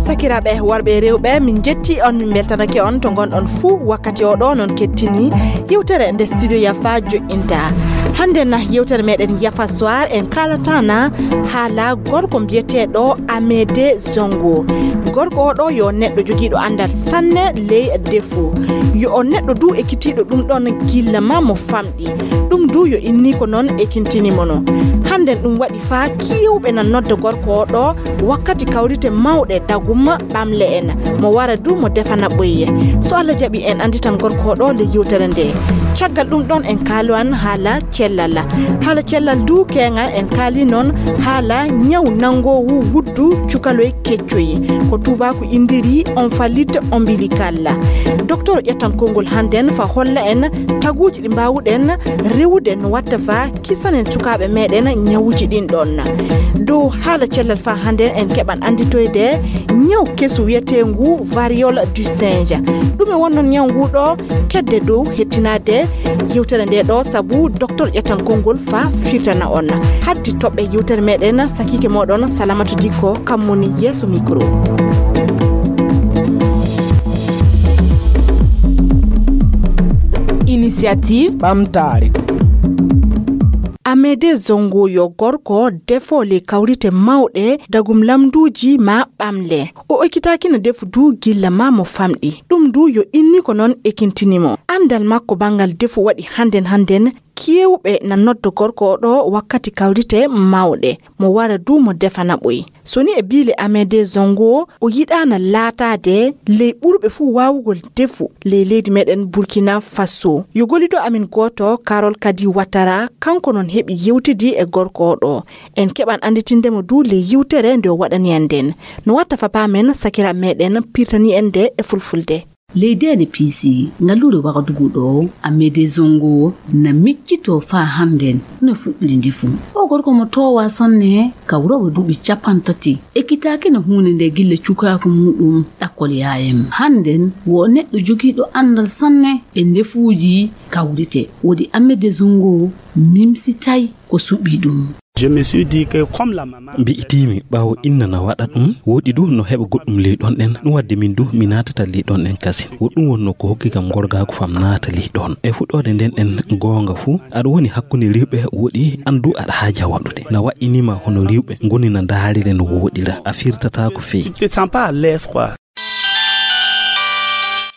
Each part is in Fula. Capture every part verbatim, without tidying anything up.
Sakiraaɓe worɓe e rewɓe, min njetti on, min mbeltanake on to ngonɗon fuu wakkati o ɗo. Noon kettini yewtere nde Studio Yafa joƴƴinta. Hannde na yewtere meɗen Yafa Soir, en kaalata na haala gorko mbiyeteeɗo Amede Zongo. Gorko o ɗo yo neɗɗo jogiiɗo anndal sanne ley defu. Yo o neɗɗo du ekkitiiɗo ɗum ɗon gilla ma mo famɗi. Ɗum du yo inni ko noon ekintini mo no. Hannde ɗum waɗi faa kiiwɓe na nodda gorko o ɗo wakkati kawrite mawɗe dagum ɓamle en. Mo wara du mo defana ɓoyye. So Allah jaɓi en annditan gorko o ɗo le yewtere nde. Caggal ɗum ɗon en kaalan haala cellal. Haala cellal du keeŋal en kaali noon haala ñaw nanngoowu wuddu cukaloy keccoy. Ko tuubaaku inndiri omphalite ombilical. Docteur ƴettan konngol hannden fa holla en taguuji ɗi mbaawuɗen rewude no watta fa kisanen sukaaɓe meɗen ñawuji ɗin ɗon. Dow haala cellal fa hannden en keɓan annditoyde ñaw kesu wiyeteengu variole du singe. Ɗume wonnon ñaw ngu ɗo? Kedde dow hettinaade yewtere nde ɗo sabu docteur ƴettan konngol fa firtana on. Haddi toɓɓe yewtere meɗen sakiike moɗon Salamatu Dikko kam woni yeeso micro. Initiative ɓamtaare. Amede Zongo yo gorko defo le kawrite mawɗe dagum lamduuji ma ɓamle. O ekkitaaki na defu du gilla ma mo famɗi. Ɗum du yo inni ko noon ekintini mo. Anndal makko banngal defu waɗi hannden hannden. Kewɓe na nodda gorko o ɗo wakkati kawrite mawɗe. Mo wara du mo defana ɓoy. So ni e biile Amede Zongo, o yiɗaana laataade ley ɓurɓe fuu waawugol defu ley leydi meɗen Burkina Faso. Yo gollido amin gooto, Carol Kadi Watara, kanko noon heɓi yewtidi e gorko o ɗo. En keɓan annditinde mo du ley yewtere nde o waɗani en nden. No watta fa paamen sakira meɗen pirtani en nde e fulfulde. Ley deene piisi, ngalluure Wagadugu ɗo, Amede Zongo na miccitoo faa hannden no fuɗɗiri ndefu. O gorko mo toowaa sanne, kawroowo duuɓi cappanɗe tati, ekkitaaki no huunde nde gilla cukaaku muuɗum ɗakkol yaayam. Hannden wo o neɗɗo jogiiɗo anndal sanne e ndefuuji kawrite. Woodi Amede Zongo mimsitay ko suɓii ɗum. Je me suis dit que comme la maman mbi'itiimi ɓaawo inna na waɗa ɗum, woɗi du no heɓa goɗɗum ley ɗon ɗen. Ɗum waɗde min du mi naatata ley ɗon ɗen kasin. Wo ɗum wonnoo ko hokki kam gorgaagu fam naata ley ɗon. E fuɗɗoode nden ɗen goonga fuu, aɗa woni hakkunde rewɓe woɗi an du aɗa haaja waɗude. Na waɗɗinii ma hono rewɓe ngoni na ndaarire no woɗira. A firtataako fey. Tu te sens pas à l'aise, quoi.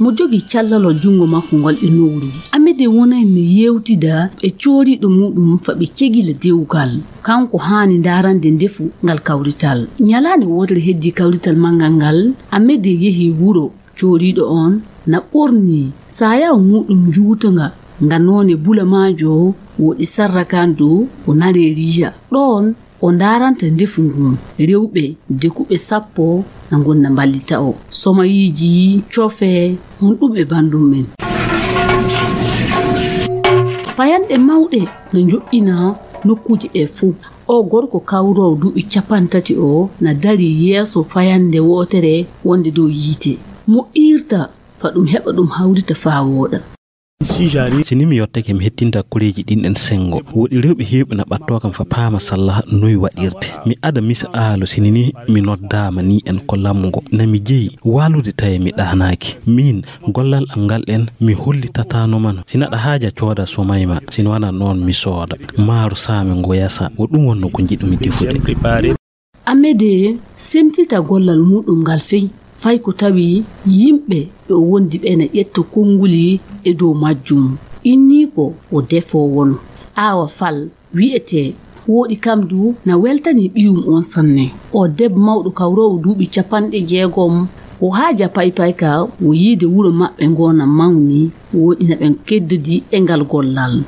Mo jogii callal o junngo makko ngol e nowru. Amede wonay no yeewtida e cooriiɗo muuɗum fa ɓe cegila dewgal. Kanko haani ndaarande ndefu ngal kawrital. Ñalaande wootere heddii kawrital manngal ngal, Amede yehi wuro. Cooriiɗo on na ɓornii saayaw muuɗum njuutanga nga noone bulamaajo woɗi sarrakandu ko nareeriija. Ɗoon o ndaaranta ndefu ngun. Rewɓe dekuɓe sappo na ngonna mballita o. Somayiiji, cofe, honɗum e banndum men. Payanɗe mawɗe na njoƴƴina nokkuuje ɗe fuu. O gorko kawroowo duuɓi cappanɗe tati o na darii yeeso fayannde wootere wonnde dow yiite. Mo iirta fa ɗum heɓa ɗum hawrita faa wooɗa. Si ni mi yottake, mi hettinta koreeji ɗin ɗen senngo. Woɗi rewɓe heewɓe na ɓattoo kam fa paama salla noy waɗirte. Mi ada misa aalo, si ni mi noddaama ni en ko lamngo. Na mi jeyi waalude tawi mi ɗaanaaki. Miin, gollal am ngal ɗen mi hollitataano mano. Si naɗa haaja cooda somayma, si no wana noon mi sooda. Maaro saami ngo yasa, wo ɗum wonno ko njiɗumi defude. Amede semtita gollal muuɗum ngal fey, fay ko tawi yimɓe ɓe o wondi ɓe na ƴetta konnguli e dow majjum. Inniiko o defoowo no. Aawa Fal wi'etee, wooɗi kam du na weltanii ɓiyum on sanne. O debbo mawɗo kawroowo duuɓi cappanɗe jeegom, o haaja paypayka, o yiide wuro maɓɓe ngo na mawni, wooɗi na ɓen keddodi e ngal gollal.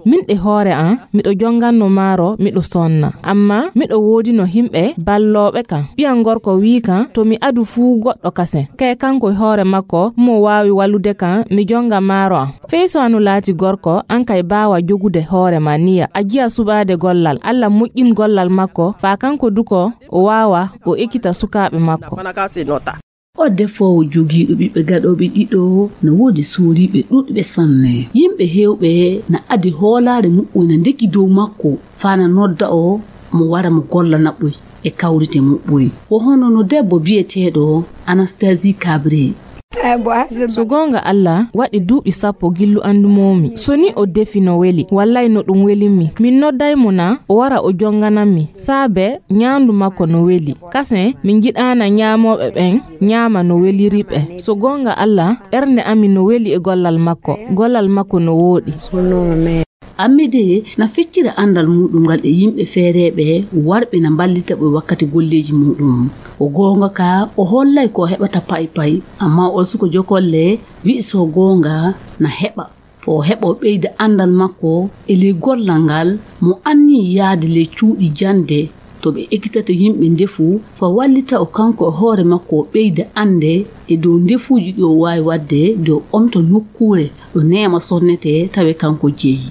Min e hoore an, miɗo jonganno maaro, miɗo sonna. Amma miɗo woodino himɓe ballooɓe kan. Ɓiyan gorko wii kan, to mi adu fuu goɗɗo kasen. Kay kanko e hoore makko, mo waawi wallude kan, mi jonga maaro an. Fey so anu laati gorko, an kay baawa jogude hoore ma niya. A jiya suɓaade gollal. Alla moƴƴin gollal makko, faa kanko du ko o waawa, o ekkita sukaaɓe makko. O defoowo jogiiɗo ɓiɓɓe gaɗooɓe ɗiɗo, no woodi sooriiɓe ɗuuɗɓe sanne. Yimɓe heewɓe na adi hoolaare muɓɓoy na ndeki dow makko, faa na nodda o mo wara mo golla naɓɓoy e kawrite muɓɓoy. Wo hono no debbo bi'eteeɗo Anastasi Kabre. So goonga Alla, waɗi duuɓi sappo gillu anndu moomi. So ni o defi no weli, wallay no ɗum welimmi. Min nodday mo na o wara o jonganammi, saabe nyaandu makko no weli. Kasen, min njiɗaana nyaamooɓe ɓen nyaama no weliri ɓe. So goonga Alla, ɓernde amin no weli e gollal makko. Gollal makko no wooɗi. Amide na feccira anndal muuɗum ngal e yimɓe feereeɓe warɓe na mballita ɓe wakkati golleeji muuɗum. O goonga ka, o hollay ko o heɓata pay pay, ammaa o suko jokolle wi'i so goonga na heɓa. Fo o heɓa o ɓeyda anndal makko e ley gollal ngal, mo anni yaade ley cuuɗi jannde to ɓe ekkitata yimɓe ndefu, faa wallita o kanko e hoore makko o ɓeyda annde e dow ndefuuji ɗi o waawi waɗde, de o omta nokkuure ɗo neema sonnetee tawe kanko jeyi.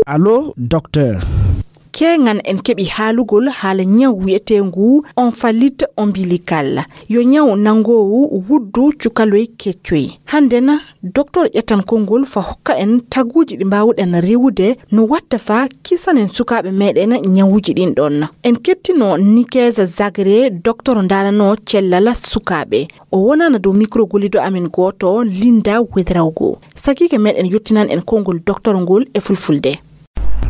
Allo, docteur. Keeŋan en keɓi haalugol haala ñaw wi'eteengu omphalite ombilical. Yo ñaw nanngoowu wuddu cukaloy keccoy. Hannde na, doktor ƴettan konngol faa hokka en taguuji ɗi mbaawuɗen rewude no watta faa kisanen sukaaɓe meeɗen ñawuuji ɗin ɗon. En kettino Nikes Zagre, doktor ndaaranoo cellal sukaaɓe. O wonaana dow mikro golliiɗo amen gooto, Linda Wedrawgo. Sakiike meeɗen yottinan en konngol doktor ngol e fulfulde.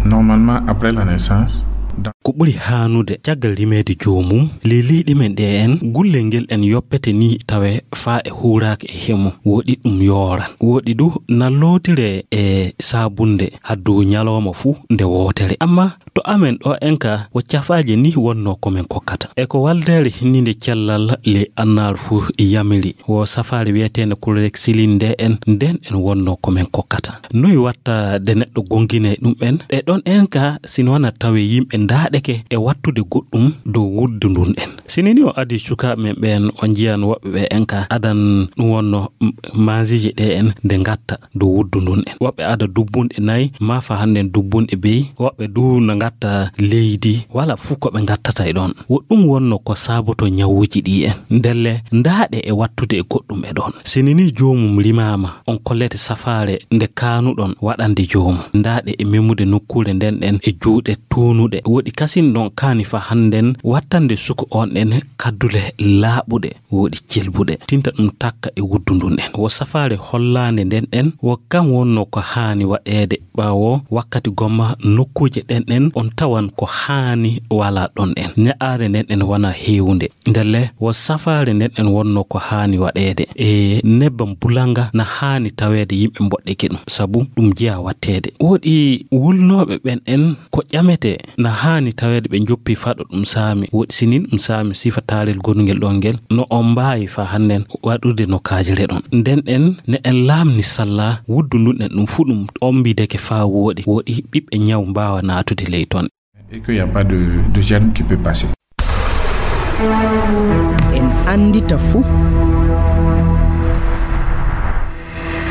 Normalement, après la naissance, dans Ko ɓuri haanude caggal rimeede joomum, ley leyɗe men ɗe en, gullel ngel en yoppete ni tawe faa e huuraaka e hemo, woɗi ɗum yooran. Woɗi du na lootire e saabunde haddu ñalooma fuu nde wootere. Amma to amen ɗo en ka, wo cafaaje ni wonnoo ko men kokkata. E ko waldeere hinninde cellal ley annaar fuu yamiri, wo safaare wi'eteende chlorhexidine nde en, nden en wonnoo ko men kokkata. Noy watta de neɗɗo gongine ɗum en? Ɗe ɗon en ka, sino wana tawe yimɓe ndaaɗeke e wattude goɗɗum dow wuddu ndun en. Sini ni o adi sukaaɓe men ɓen, o njiyan woɓɓe ɓe en ka adan ɗum wonno m-, manziiji ɗe en nde ngatta dow wuddu ndun en. Woɓɓe ada dubbunɗe nayi, maa fa hannden dubbunɗe bey, woɓɓe du no ngatta leydi, wala fuu ko ɓe ngattata e ɗon. Wo ɗum wonno ko saaboto ñawuuji ɗi en. Ndelle, ndaaɗe e wattude e goɗɗum e ɗon. Sini ni joomum rimaama, on kollete safaare nde kaanuɗon waɗande joomum. Ndaaɗe e memude nokkuure nden ɗen e juuɗe tuunuɗe. Woɗi kasin ɗon kaani fa hannden wattande suko on ɗen kaddule laaɓuɗe, woɗi celbuɗe. Tinta ɗum takka e wuddu ndun en. Wo safaare hollaande nden ɗen, wo kam wonno ko haani waɗeede. Ɓaawo wakkati gomma nokkuuje ɗen ɗen on tawan ko haani wala ɗon en. Ña'aare nden ɗen wana heewunde. Ndelle, wo safaare nden en wonno ko haani waɗeede. E nebbam bulanga na haani taweede yimɓe mboɗɗeke ɗum, sabu ɗum jeyaa watteede. Woɗi wulnooɓe ɓen en ko ƴametee na haani taweede ɓe njoppi faa ɗo ɗum saami. Woɗi sinin ɗum saami sifa taarel gonungel ɗon ngel, no on mbaawi faa hannden waɗude no kaajire ɗon. Nden en ne en laamni salla wuddu ndun en ɗum fuu ɗum ombideke faa wooɗi. Woɗi ɓiɓɓe ñaw mbaawa naatude ley ton. Et qu'il n'y a pas de, de germe qui peut passer. En anndita fuu.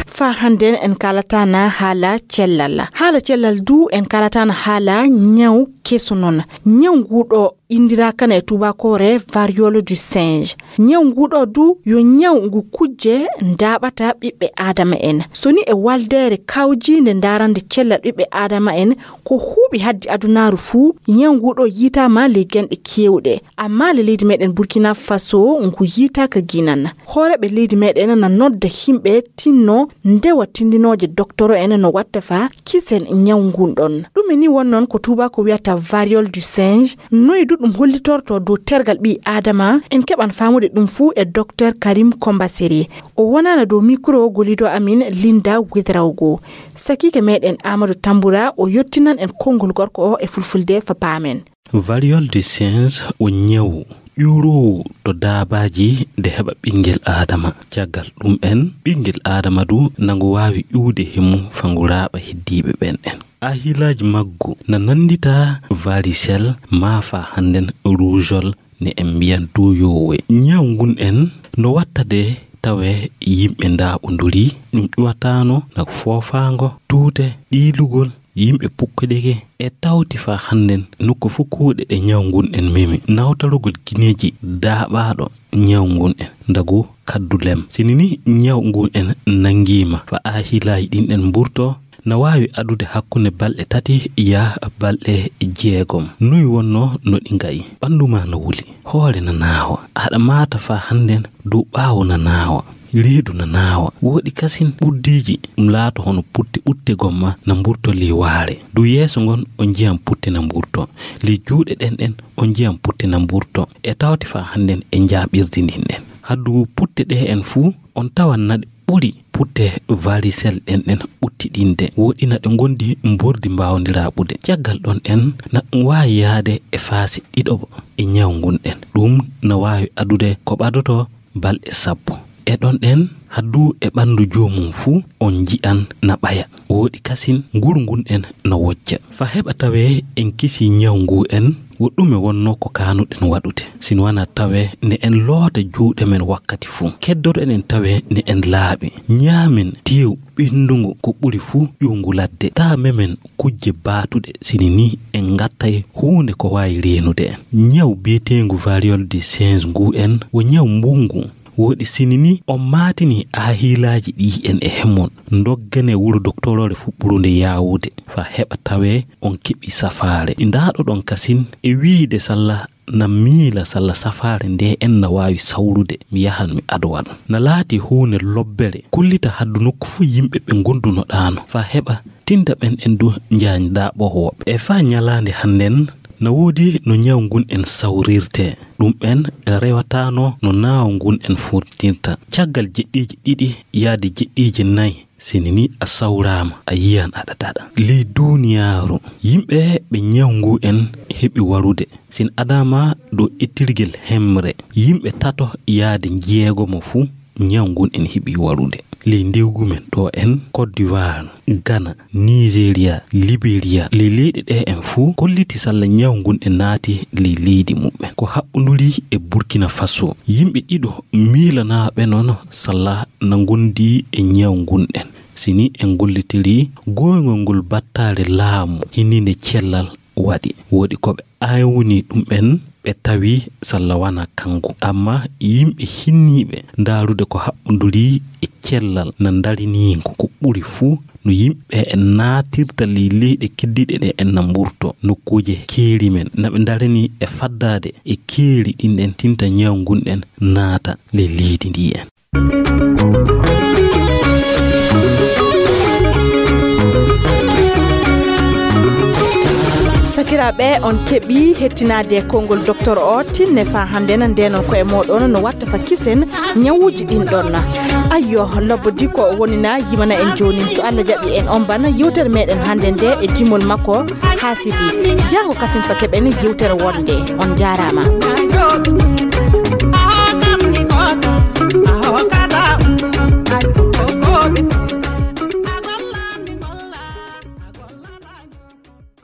Faa hannden en kaalataana haala cellal. Haala cellal du en kaalataana haala ñaw keso non. Ñaw ngu ɗo inndiraa kana e tuubaakoore variole du singe. Ñaw ngu ɗo du yo ñaw ngu kujje ndaaɓata ɓiɓɓe Aadama en. So ni e waldeere kawjiinde ndaarande cellal ɓiɓɓe Aadama en, ko huuɓi haddi adunaaru fuu, ñaw ngu ɗo yiitaama ley genɗe keewɗe. Amma le leydi meɗen Burkina Faso ngu yiitaaka ginan. Hooreeɓe leydi meɗen na nodda himɓe tinno ndewa tindinooje doktoro en no watta faa kisen ñaw ngun ɗon. Ɗum e ni won noon ko tuubaako wiyata variole du singe. Noy du ɗum hollitorto dow tergal ɓii Aadama? En keɓan faamude ɗum fuu e Docteur Karim Kombaseri. O wonaana dow mikro gollido amin Linda Widrawgo. Sakiike meɗen Amadou Tambura o yottinan en konngol gorko o e fulfulde fa paamen. Variole du singe o ñawu ƴuuroowu to daabaaji nde heɓa ɓinngel Aadama. Caggal ɗum en, ɓinngel Aadama du na ngu waawi ƴuwde he mum fa ngu raaɓa heddiiɓe ɓen en. Ahilaaji maggu na nanndita varicelle maa fa hannden rougeole ne en mbiyan duuyoowe. Ñaw ngun en no watta de tawe yimɓe ndaaɓondurii, ɗum ƴuwataano na foofaango, tuute, ɗiilugol, yimɓe pukkodike e tawti faa hannden nokku fuu kuuɗe ɗe ñaw ngun en memi. Nawtalugol gineeji daaɓaaɗo ñaw ngun en ndagu kaddu lem. Sini ni ñaw ngun en nanngiima faa aahilaaji ɗin en mburto, na waawi adude hakkunde balɗe tati yaa balɗe jeegom. Noy wonnoo no ɗi nga'i? Ɓanndu maa na wuli, hoore na naawa, aɗa maata faa hannden dow ɓaawo na naawa, reedu na naawa. Wooɗi kasin ɓurdiiji ɗum laato hono putte ɓutte gomma na mburto ley waare. Dow yeeso ngon on njiyan putte na mburto. Ley juuɗe ɗen ɗen on njiyan putte na mburto. E tawti faa hannden e njaaɓirdi ndin ɗen. Haddu putte ɗe en fuu on tawan na ɗe ɓuri putte varisel ɗen ɗen ɓuttiɗinde. Wooɗi na ɗe ngondi mbordi mbaawondiraaɓude. Caggal ɗon en na ɗum waawi yaade e faasi ɗiɗoɓo e ñaw ngun ɗen. Ɗum na waawi adude ko ɓadoto balɗe sappo. E ɗon ɗen haddu e ɓanndu joomum fuu on nji'an na ɓaya. Wooɗi kasin nguru ngun en na wocca. Faa heɓa tawee en kisii ñaw ngu en, wo ɗume wonnoo ko kaanuɗen waɗude? Sino wanaa tawee ne en loota juuɗe men wakkati fuu. Keddoɗen en tawee ne en laaɓi. Ñaamen teew ɓenndungu ko ɓuri fuu ƴuwngu ladde. Taa memen kujje baatuɗe sini ni en ngattay huunde ko waawi reenude en. Ñaw bi'eteengu variole du singe ngu en wo ñaw mbunngu. Wooɗi sini ni on maatini aahiilaaji ɗi en e hemon. Ndoggane wuro doktoroore fuɓɓurunde yaawude faa heɓa tawee on keɓi safaare. Ndaaɗoɗon kasin e wiide salla na miila salla safaare nde en na waawi sawrude, mi yahan mi adowa ɗum. Na laati huunde lobbere, kullita haddu nokku fuu yimɓe ɓe ngondunoɗaano, faa heɓa tinda ɓen en du njaandaa ɓoho woɓɓe. E faa ñalaande hannden, na woodi no ñaw ngun en sawrirtee. Ɗum en rewataano no naaw ngun en furtinta. Caggal jeɗɗiiji ɗiɗi yaade jeɗɗiiji nay, sini ni a sawraama, a yiyan aɗa daɗa. Ley duuniyaaru, yimɓe ɓe ñaw ngu en heɓi warude. Sin adaama dow ettirgel hemre, yimɓe tato yaade jeegomo fuu ñaw ngun en heɓi warude. Ley ndewgu men ɗo en, Côte d'Ivoire, Ghana, Nigeria, Liberia, ley leyɗe ɗe en fuu kolliti salla ñaw ngun en naati ley leydi muɓɓen. Ko haɓɓunduri e Burkina Faso, yimɓe ɗiɗo miilanaaɓe non salla na ngondi e ñaw ngun en. Sini en gollitiri gooyngol ngol battaare laamu hinninde cellal waɗi. Wooɗi ko ɓe aawni ɗum en, ɓe tawi salla wana kanko. Amma yimɓe hinniiɓe ndaarude ko haɓɓunduri e cellal na ndarinii ko, ko ɓuri fuu no yimɓe en naatirta ley leyɗe keddiiɗe ɗe en na mburto nokkuuje keeri men. Na ɓe ndarani e faddaade e keeri ɗin en tinta ñaw ngun en naata ley leydi ndi en. Sakiraaɓe, on keɓi hettinaade konngol docteur o tinne faa hannde na ndeenon koye mooɗon no watta fa kisen ñawuuji ɗin ɗon. Ayyo, lobbo dikko o woni na yimana en jooni. So Allah jaɓi en on bana yewtere meɗen hannde nde e jimol makko haasidi. Jaango kasin fa keɓen yewtere wonde. On jaaraama.